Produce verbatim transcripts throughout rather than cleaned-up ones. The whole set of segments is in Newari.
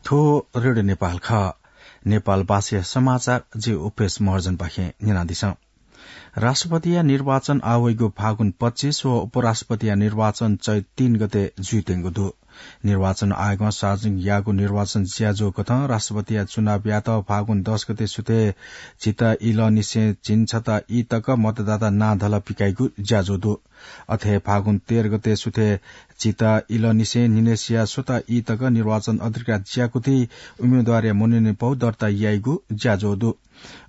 थ्व रेडियो नेपाल खः। नेपाल भाषाया समाचार जि उपेश महर्जनपाखें न्यनादिसँ। राष्ट्रपतिया निर्वाचन आवइगु फागुन पच्चीस व उपराष्ट्रपतिया निर्वाचन चैत तीन गते जुइत्यंगु दु। निर्वाचन आयोगं सार्वजनिक याःगु निर्वाचन ज्याझ्वः कथं राष्ट्रपतिया चुनावयात फागुन दस गते सुथय् झिता इलंनिसें झिंछता ई तक मतदाता नां धलः पिकाइगु ज्याझ्वः दु। अथे फागुन तेह्र गते सुथय् झिता इलंनिसें न्हिनय् सिया स्वता ई तक निर्वाचन अधिकृत ज्याकुथि उम्मेदवारया मनोनयन पौ दर्ता याइगु ज्याझ्वः दु।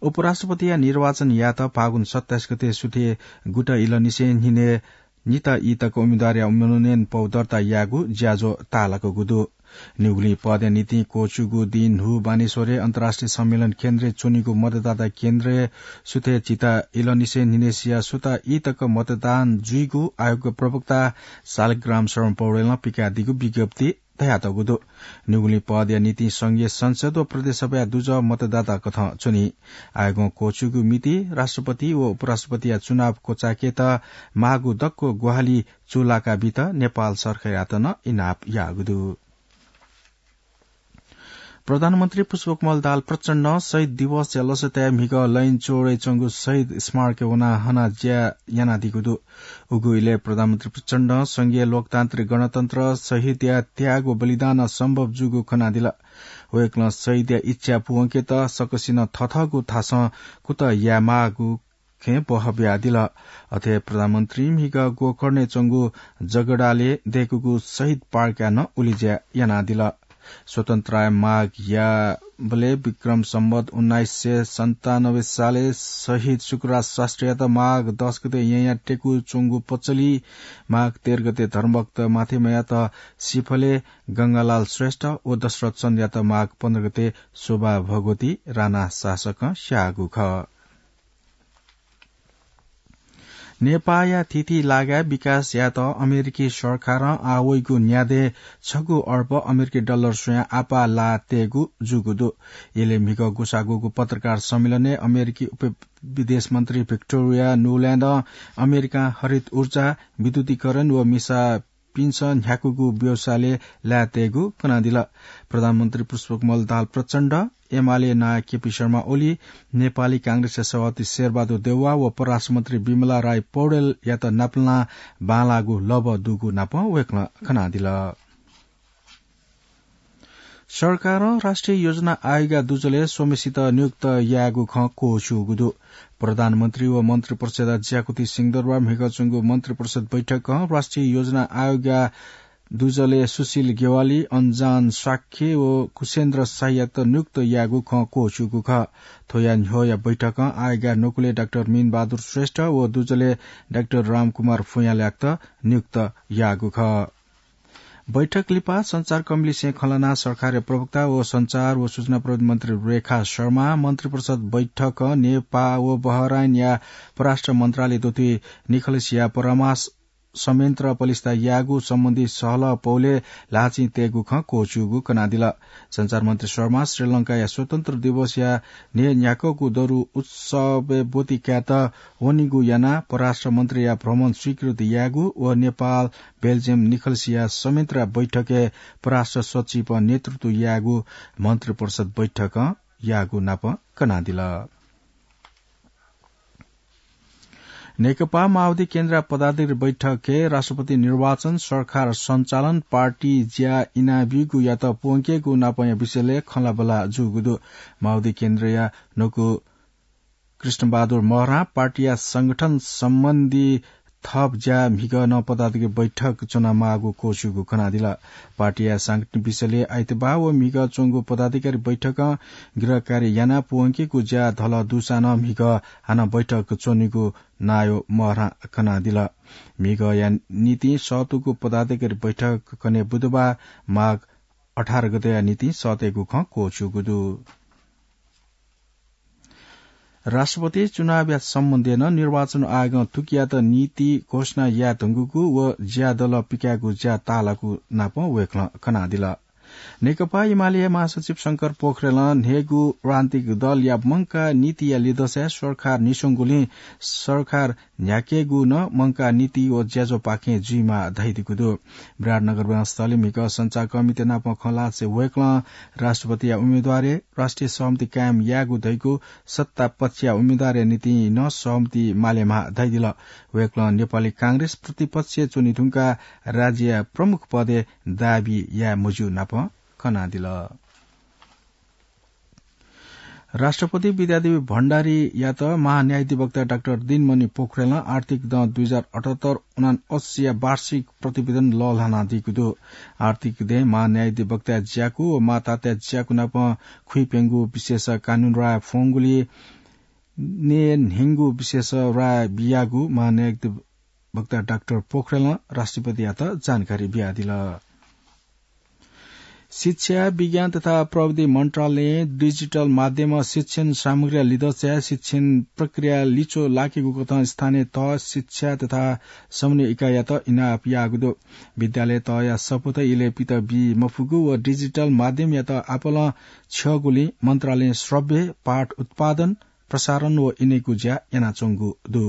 उपराष्ट्रपतिया निर्वाचन यात फागुन सत्ताइस गते सुथय् गुता इलंनिसें न्हिनय् निता ई तक उम्मेदवारया मनोनयन पौ दर्ता याःगु ज्याझ्वः ताःलाकूगु दु। निगुलिं पदया निंतिं क्वःछिउगु दिं न्हू बानेश्वरय् अन्तर्राष्ट्रिय सम्मेलन केन्द्रय् च्वनीगु मतदाता केन्द्रय् सुथय् झिता इलंनिसें न्हिनय् सिया स्वता ई तक मतदान जुइगु आयोगया प्रवक्ता शालिग्राम शरण पौडेलं पिकादीगु विज्ञप्ति धयातःगु दु। निगुलिं पदया निंतिं संघीय संसद व प्रदेश सभाया दुजः मतदाता कथं च्वनी। आयोगं क्वःछिउगु मिति राष्ट्रपति व उपराष्ट्रपतिया चुनाव क्वचाय्केत माःगु दक्व ग्वाहालि चूलाका बीत नेपाल सरकारयात नं इनाप याःगु दु। प्रधानमन्त्री पुष्पकमल दाहाल प्रचण्डं शहीद दिवसया लसताय् म्हिगः लैनचौरय् च्वंगु शहीद स्मारकय् वनाः हना ज्या यानादीगु दु। उगु इलय् प्रधानमन्त्री प्रचण्डं संघीय लोकतान्त्रिक गणतन्त्र, शहीदया त्याग व बलिदानं सम्भव जूगु खनादिल। वय्कलं शहीदया इच्छा पूवंकेत सकसिनं थथःगु थासं कुतः यायेमाःगु खँय् बहः बियादिल। अथे प्रधानमन्त्रीं म्हिगः गोकर्णय् च्वंगु जगडालय् दय्कूगु शहीद पार्कया नं उलिज्या यानादिल। स्वतन्त्रताया माग याःबलय् विक्रम सम्वत उन्नाइस सय सन्तानब्बे सालय् शहीद शुक्रराज शास्त्रीयात माघ दस गते येँया टेकु च्वंगु पचली, माघ तेह्र गते धर्मभक्त माथेमयात सिफलय् गंगालाल श्रेष्ठ व दशरथ चन्दयात माघ पन्ध्र गते शोभा भगवती राणा शासकं स्याःगु खः। नेपाःया थीथी लागाय् विकास यायेत अमेरिकी सरकारं आः वइगु न्यादँय् छगू अर्ब अमेरिकी डलर स्वयाः आपाः लाः तयेगु जूगु दु। इलय् म्हिगः ग्वसाः ग्वःगु पत्रकार सम्मेलनय् अमेरिकी उपविदेश मन्त्री भिक्टोरिया नुल्यान्डं अमेरिकां हरित ऊर्जा, विद्युतीकरण व मिसा पिन्सं न्ह्याकूगु व्यवसायलय् लायेतयेगु कनादिल। प्रधानमन्त्री पुष्पकमल दाहाल प्रचण्ड, एमाले नायः केपी शर्मा ओली, नेपाली कांग्रेसया सभापति शेरबहादुर देउवा व परराष्ट्रमन्त्री विमला राई पौडेलयात नापलानाः बांलाःगु लभ्व दुगु नापं वय्कलं कनादिल। सरकारं राष्ट्रिय योजना आयोगया दुजलय् स्वम्हेसित नियुक्त यायेगु खँ क्वःछिउगु दु। प्रधानमन्त्री व मन्त्रिपरिषदया ज्याकुथि सिंहदरबार म्हिगः च्वंगु मन्त्रिपरिषद बैठकं राष्ट्रिय योजना आयोगया दुजलय् सुशील ज्ञवाली, अञ्जन शाक्य व कुशेन्द्र शाहीयात नियुक्त यायेगु खँ क्वःछिउगु खः। थ्वया न्ह्यःया बैठकं आयोगया नुगलय् डाक्टर मीनबहादुर श्रेष्ठ व दुजलय् डाक्टर रामकुमार फुयाँलयात नियुक्त याःगु खः। बैठक लिपा सञ्चारकर्मीलिसें खँ ल्हानाः सरकारया प्रवक्ता व सञ्चार व सूचना प्रविधि मन्त्री रेखा शर्मां मन्त्रिपरिषद बैठकं नेपाः व बहराइनया परराष्ट्र मन्त्रालय दथुइ निखलसिया परामर्श संयन्त्र पलिस्था यायेगु सम्बन्धी सहलह पौलय् ल्हाःचिं तयेगु खँ क्वःछिउगु कनादिल। सञ्चार मन्त्री शर्मां श्रीलंकाया स्वतन्त्र दिवसया न्हय्न्ह्याक्वःगु दरु उत्सवय् ब्वति कायेत वनीगु यानाः परराष्ट्र मन्त्रीया भ्रमण स्वीकृत यायेगु व नेपाल, बेल्जियम निखलसिया संयन्त्रया बैठकय् परराष्ट्र सचिवं नेतृत्व यायेगु मन्त्रिपरिषद बैठकं याःगु नाप कनादिल। नेकपा माओवादी केन्द्रया पदाधिकारी बैठकय् राष्ट्रपति निर्वाचन, सरकार सञ्चालन, पार्टी ज्या इनाब्यूगुयात प्वंकेगु नापंया विषयलय् खँल्हाबल्हा जूगु दु। माओवादी केन्द्रया न्हूगु कृष्णबहादुर महरां पार्टीया संगठन सम्बन्धी थप ज्या म्हिगः नं पदाधिकारी बैठक च्वनामाःगु क्वःछिउगु कनादिल। पार्टीया सांगठनिक विषयलय् आइतबाः व म्हिगः च्वंगु पदाधिकारी बैठकं गिरफ्तारी यानाः प्वंकेगु ज्या धलः दुसां नं म्हिगः हानं बैठक च्वनीगु नायः महरां कनादिल। म्हिगःया निंतिं सःतूगु पदाधिकारी बैठक कन्हय् बुधबार माघ अठार गतेया निंतिं सःतेगु खँ क्वःछिउगु दु। राष्ट्रपति चुनावया सम्बन्धय् नं निर्वाचन आयोगं थुकियात नीति घोषणा याये धुंकूगु व ज्या धलः पिकायेगु ज्या ताःलाःगु नापं वय्कलं कनादिल। नेकपा एमाले महासचिव शंकर पोखरेलं न्हय्गू राजनीतिक दलया मंकाः नीतिया लिधंसाय् सरकार निस्वंगुलिं सरकार न्ह्याकेगु नं मंकाः नीति व ज्याझ्वःपाखें जुइमाः धयादीगु दु। विराटनगर विमानस्थलय् म्हिगः सञ्चारकर्मीत नाप खँ ल्हाःसां वय्कलं राष्ट्रपतिया उम्मेदवारय् राष्ट्रिय सहमति कायम यायेगु धइगु सत्तापक्षया उम्मेदवारया निंतिं नं सहमति मालेमाः धयादिल। वय्कलं नेपाली कांग्रेस प्रतिपक्षय् च्वने धुंकाः राज्यया प्रमुख पदय् दाबी याये मज्यू नाप कनादिल। राष्ट्रपति विद्यादेवी भण्डारीयात महान्यायाधिवक्ता डाक्टर दिनमणि पोखरेलं आर्थिक दँ दुई हजार अठहत्तर उनान्सयया वार्षिक प्रतिवेदन लःल्हानादीगु दु। आर्थिक दँय् महान्यायाधिवक्ताया ज्याकू व माताताया ज्याकू नाप खुइप्यंगु विशेष कानून राय फ्वंगुलिं न्हय्न्हय्गू विशेष राय बियागु महान्यायाधिवक्ता डाक्टर पोखरेलं राष्ट्रपतियात जानकारी बियादिल। शिक्षा, विज्ञान तथा प्रविधि मन्त्रालयं डिजिटल माध्यमं शिक्षण सामग्रीया लिधंसाय् शिक्षण प्रक्रिया लिच्वः लाकेगु कथं स्थानीय तह शिक्षा तथा समन्वय इकाइयात इनाप याःगु दु। विद्यालय तहया सफूत इलय् पित बी मफुगु व डिजिटल माध्यमयात आपालं छ्यःगुलिं मन्त्रालयं श्रव्य पाठ उत्पादन, प्रसारण व इनेगु ज्या यानाच्वंगु दु।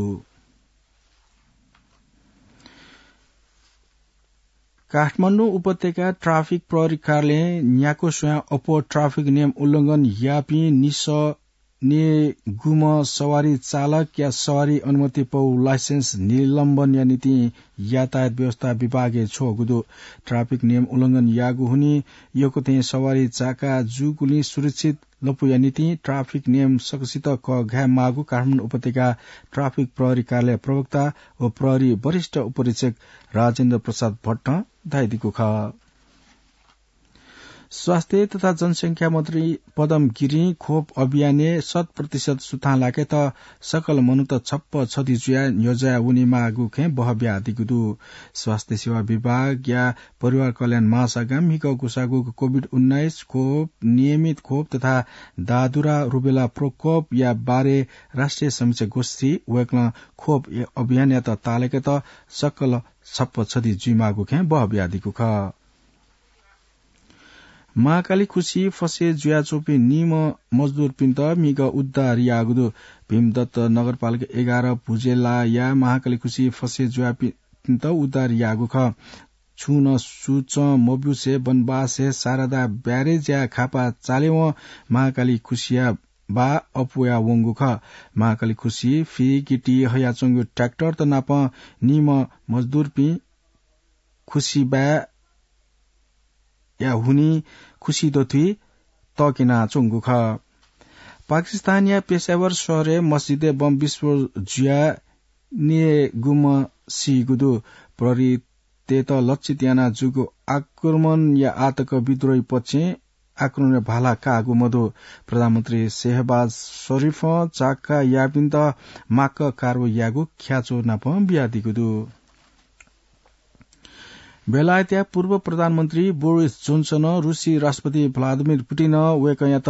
काठमाडौं उपत्यका ट्राफिक प्रहरी कार्यालयं न्याक्व स्वयां अप्वः ट्राफिक नियम उल्लंघन याःपिं निसः नयेगुम्ह सवारी चालकया सवारी अनुमति पौ लाइसेन्स निलम्बनया निंतिं यातायात व्यवस्था विभागय् छ्वःगु दु। ट्राफिक नियम उल्लंघन याःगु हुनिं यक्व थें सवारी चाका जूगुलिं सुरक्षित लँपुया निंतिं ट्राफिक नियम सकसित कःघाये माःगु काठमाडौं उपत्यका ट्राफिक प्रहरी कार्यालय प्रवक्ता व प्रहरी वरिष्ठ उपरीक्षक राजेन्द्र प्रसाद भट्टं धयादीगु खः। स्वास्थ्य तथा जनसंख्या मन्त्री पदम गिरिं खोप अभियानय् शत प्रतिशत सुथां लाकेत सकल मनूत छप्पा छधी जुयाः न्ह्यज्वया वनेमाःगु खँय् बह बियादीगु दु। स्वास्थ्य सेवा विभागया परिवार कल्याण महाशाखां म्हिगः ग्वसाःगु कोभिड उन्नाइस खोप, नियमित खोप तथा दादुरा रुबेला प्रकोपया बारे राष्ट्रिय समीक्षा गोष्ठी वय्कलं खोप अभियानयात ताःलाकेत सकल छप्पा छधी जुइमाःगु खँय् बह बियादीगु खः। महाकाली खुसिइ फसे जुयाच्वंपिं निम्ह मजदुरपिन्त म्हिगः उद्धार याःगु दु। भीमदत्त नगरपालिका एघार भुजेलाया महाकाली खुसिइ फसे जुयापिन्त उद्धार याःगु खः। छुं नं सुचं मब्यूसे वनवासय् शारदा ब्यारेजया खापा चालेवं महाकाली खुसिया बाः अप्वया वंगु खः। महाकाली खुसिइ फि गिटी हयाच्वंगु ट्र्याक्टरत नाप निम्ह मजदुरपिं खुसिबाय् या हुनिं खुसि दथुइ तःकेनाच्वंगु खः। पाकिस्तानया पेशावर शहरय् मस्जिदय् बम विस्फोट जुयाः नयेगुम्ह सीगु दु। प्रहरीतय्त लक्षित यानाः जूगु आक्रमणया आतक विद्रोही पक्षं आक्रमणया भाला काःगु मदु। प्रधानमन्त्री शेहबाज शरीफं चाका याःपिन्त माक्क कारवाही यायेगु ख्याच्वः नाप बियादीगु दु। बेलायतया पूर्व प्रधानमन्त्री बोरिस जोन्सनं रुसी राष्ट्रपति भ्लादिमिर पुटिनं वय्कःयात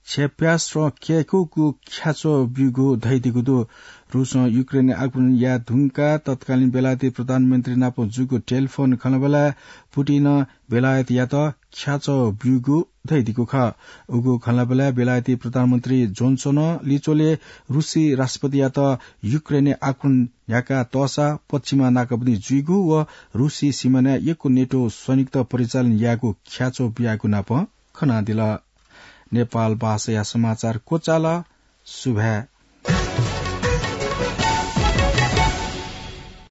क्षेप्यास्त्र कय्कूगु ख्याच्वः ब्यूगु धयादीगु दु। रुसं युक्रेनय् आक्रमण याये धुंकाः तत्कालीन बेलायती प्रधानमन्त्री नाप जूगु टेलिफोन खँल्हाबल्हाय् पुटिनं बेलायतयात ख्याच्वः ब्यूगु धयादीगु खः। उगु खँल्हाबल्हाय् बेलायती प्रधानमन्त्री जोन्सनं लिच्वलय् रुसी राष्ट्रपतियात युक्रेनय् आक्रमण न्ह्याका तःसा पश्चिमा नाकाबन्दी जुइगु व रुसी सिमानाय् यक्व नेटो सैनिकत परिचालन यायेगु ख्याच्वः बियागु नाप खनादिल। नेपाल भाषाया समाचार क्वचाल। सुभाय्।